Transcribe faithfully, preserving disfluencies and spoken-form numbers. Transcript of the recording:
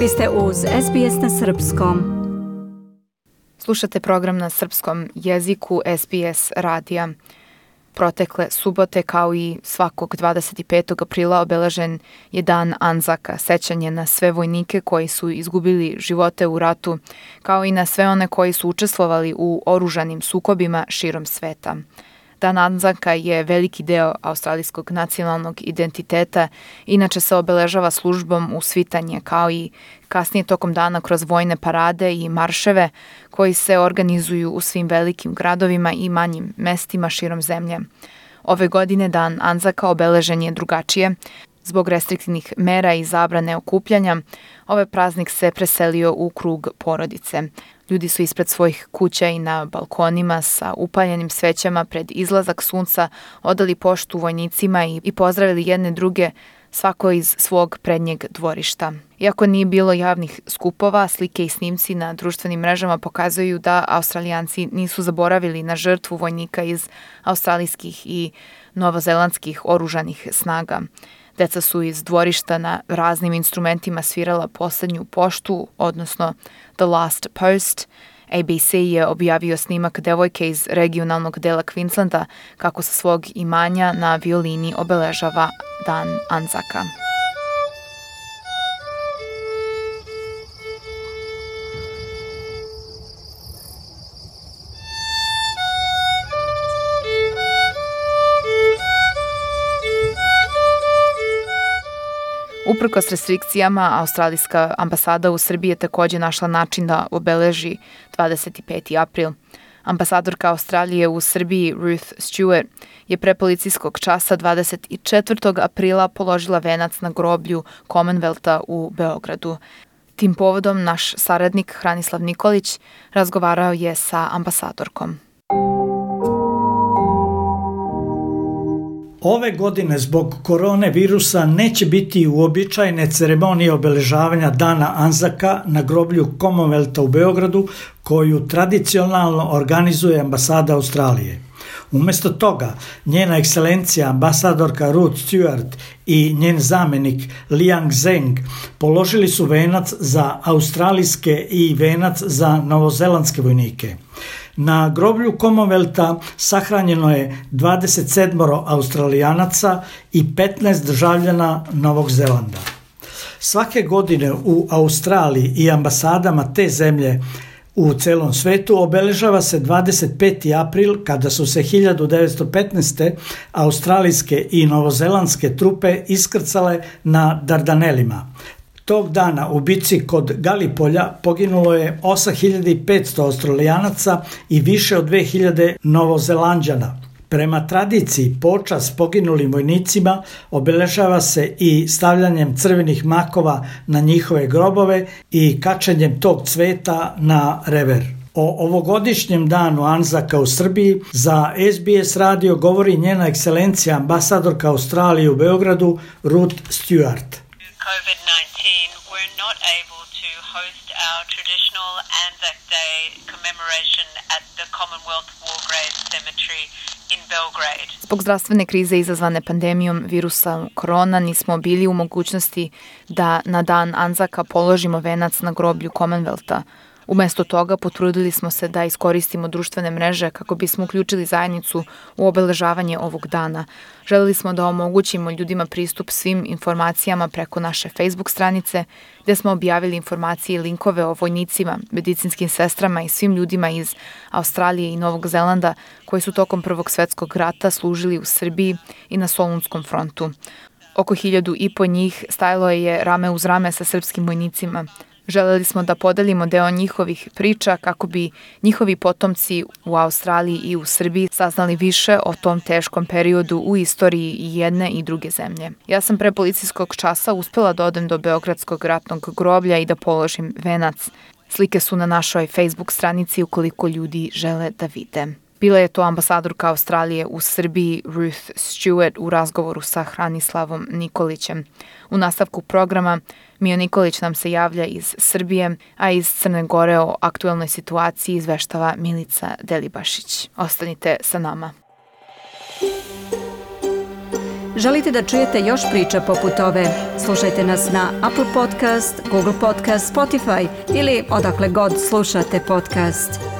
Vi ste uz S B S na srpskom. Slušate program na srpskom jeziku S B S radija. Protekle subote, kao i svakog dvadeset petog aprila, obeležen je dan Anzaka, sećanje na sve vojnike koji su izgubili živote u ratu, kao i na sve one koji su učestvovali u oružanim sukobima širom sveta. Dan Anzaka je veliki deo australijskog nacionalnog identiteta, inače se obeležava službom u svitanje, kao i kasnije tokom dana kroz vojne parade i marševe koji se organizuju u svim velikim gradovima i manjim mestima širom zemlje. Ove godine dan Anzaka obeležen je drugačije. Zbog restriktivnih mera i zabrane okupljanja, ovaj praznik se preselio u krug porodice. Ljudi su ispred svojih kuća i na balkonima sa upaljenim svećama pred izlazak sunca odali poštu vojnicima i, i pozdravili jedne druge, svako iz svog prednjeg dvorišta. Iako nije bilo javnih skupova, slike i snimci na društvenim mrežama pokazuju da Australijanci nisu zaboravili na žrtvu vojnika iz australijskih i novozelandskih oružanih snaga. Deca su iz dvorišta na raznim instrumentima svirala poslednju poštu, odnosno The Last Post. A B C je objavio snimak devojke iz regionalnog dela Queenslanda kako sa svog imanja na violini obeležava dan Anzaka. Uprkos restrikcijama, australijska ambasada u Srbiji je također našla način da obeleži dvadeset peti april. Ambasadorka Australije u Srbiji Ruth Stewart je pre policijskog časa dvadeset četvrtog aprila položila venac na groblju Commonwealtha u Beogradu. Tim povodom naš saradnik Hranislav Nikolić razgovarao je sa ambasadorkom. Ove godine zbog korone virusa neće biti uobičajene ceremonije obeležavanja dana Anzaka na groblju Commonwealtha u Beogradu, koju tradicionalno organizuje ambasada Australije. Umjesto toga, njena ekscelencija ambasadorka Ruth Stewart i njen zamenik Liang Zheng položili su venac za australijske i venac za novozelandske vojnike. Na groblju Commonwealtha sahranjeno je dvadeset sedam Australijanaca i petnaest državljana Novog Zelanda. Svake godine u Australiji i ambasadama te zemlje u celom svetu obeležava se dvadeset peti april, kada su se hiljadu devetsto petnaeste. australijske i novozelandske trupe iskrcale na Dardanelima. Tog dana u bici kod Galipolja poginulo je osam hiljada petsto Australijanaca i više od dve hiljade Novozelanđana. Prema tradiciji, počast poginulim vojnicima obeležava se i stavljanjem crvenih makova na njihove grobove i kačenjem tog cveta na rever. O ovogodišnjem danu Anzaka u Srbiji za S B S radio govori njena ekscelencija ambasadorka Australije u Beogradu Ruth Stewart. covid nineteen, we're not able to host our traditional Anzac Day commemoration at the Commonwealth War Graves Cemetery in Belgrade. Zbog zdravstvene krize izazvane pandemijom virusa korona nismo bili u mogućnosti da na dan Anzaka položimo venac na groblju Commonwealtha. Umjesto toga potrudili smo se da iskoristimo društvene mreže kako bismo uključili zajednicu u obeležavanje ovog dana. Želeli smo da omogućimo ljudima pristup svim informacijama preko naše Facebook stranice, gdje smo objavili informacije i linkove o vojnicima, medicinskim sestrama i svim ljudima iz Australije i Novog Zelanda koji su tokom Prvog svjetskog rata služili u Srbiji i na Solunskom frontu. Oko hiljadu i po njih stajalo je rame uz rame sa srpskim vojnicima. Želeli smo da podelimo deo njihovih priča kako bi njihovi potomci u Australiji i u Srbiji saznali više o tom teškom periodu u istoriji i jedne i druge zemlje. Ja sam pre policijskog časa uspela da odem do Beogradskog ratnog groblja i da položim venac. Slike su na našoj Facebook stranici ukoliko ljudi žele da vide. Bila je to ambasadorka Australije u Srbiji Ruth Stewart u razgovoru sa Hranislavom Nikolićem. U nastavku programa Mio Nikolić nam se javlja iz Srbije, a iz Crne Gore o aktuelnoj situaciji izveštava Milica Delibašić. Ostanite sa nama. Želite da čujete još priča poput ove? Slušajte nas na Apple Podcast, Google Podcast, Spotify ili odakle god slušate podcast.